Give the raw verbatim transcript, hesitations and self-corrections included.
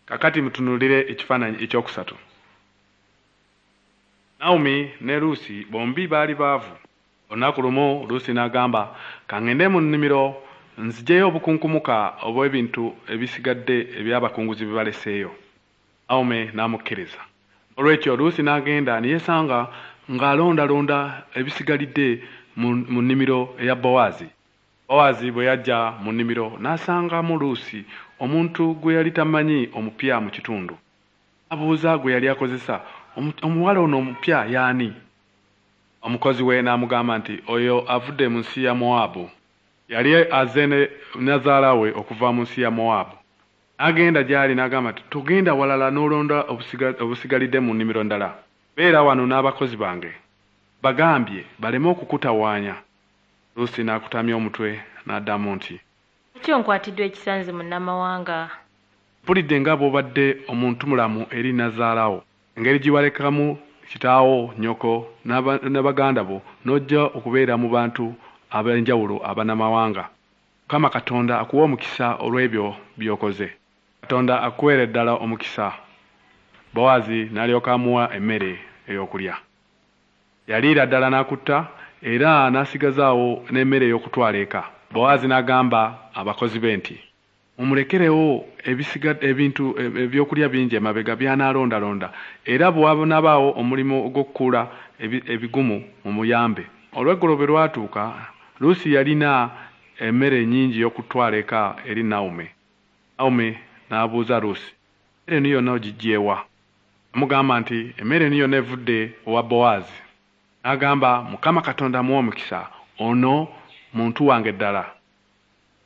Kakati mutunuulire ekifaananyi ekyokusatu. Nawomi ne Luusi bombi baali baavu. Olunaku lumu Luusi n'agamba, ka ŋŋende mu nnimiro nziggyeyo obukunkumuka obw'ebintu ebisigadde eby'abakunguzi bye baleseeyo. Nawomi n'amukkiriza. Olw'ekyo Luusi n'agenda ne yeesanga ng'alondalonda ebisigalidde mu, mu nnimiro eya Bowaazi. Bowaazi bwe yajja mu nnimiro n'asangamu Luusi, omuntu gwe yali tamanyi omupya mu kitundu. Abuuza gwe yali akozesa, omuwala ono omupya y'ani? Omukozi we n'amugamba nti oyo avudde mu nsi ya Mowaabu. Yali azze ne nnazaala we okuva mu nsi ya Mowaabu. N'agenda gy'ali n'agamba nti togenda walala n'olonda obusigalidde mu nnimiro ndala. Beera wano n'abakozi bange. Bagambye baleme okukutawaanya. Luusi n'akutamya omutwe n'addamu nti Lwaki onkwatiddwa ekisa nze munnamawanga? Mpulidde nga bw'obadde omuntumulamu eri nnazaala wo, engeri gye walekamu kitaawo, nnyoko ne baganda bo n'ojja okubeera mu bantu ab'enjawulo abannamawanga. Mukama Katonda akuwe omukisa olw'ebyo by'okoze. Katonda akuweere ddala omukisa. Bowaazi n'alyoka amuwa emmere ey'okulya. Yaliira ddala n'akutta era n'asigazaawo n'emmere ey'okutwala eka. Bowaazi n'agamba abakozi be nti mumulekerewo ebintu ebyokulya bingi emabega by'anaalondalonda era bwe wanaabaawo omulimu ogw'okukuula ebigumu mumuyambe. Olweggulo bwe lwatuuka, Luusi yalina emmere nnyingi y'okutwala eka eri Nawomi. Nawomi n'abuuza Luusi, emmere eno yonna ogiggye wa? Amugamba nti emmere eno yonna evudde owa Bowaazi. N'agamba Mukama Katonda amuwe omukisa, ono muntu wange ddala.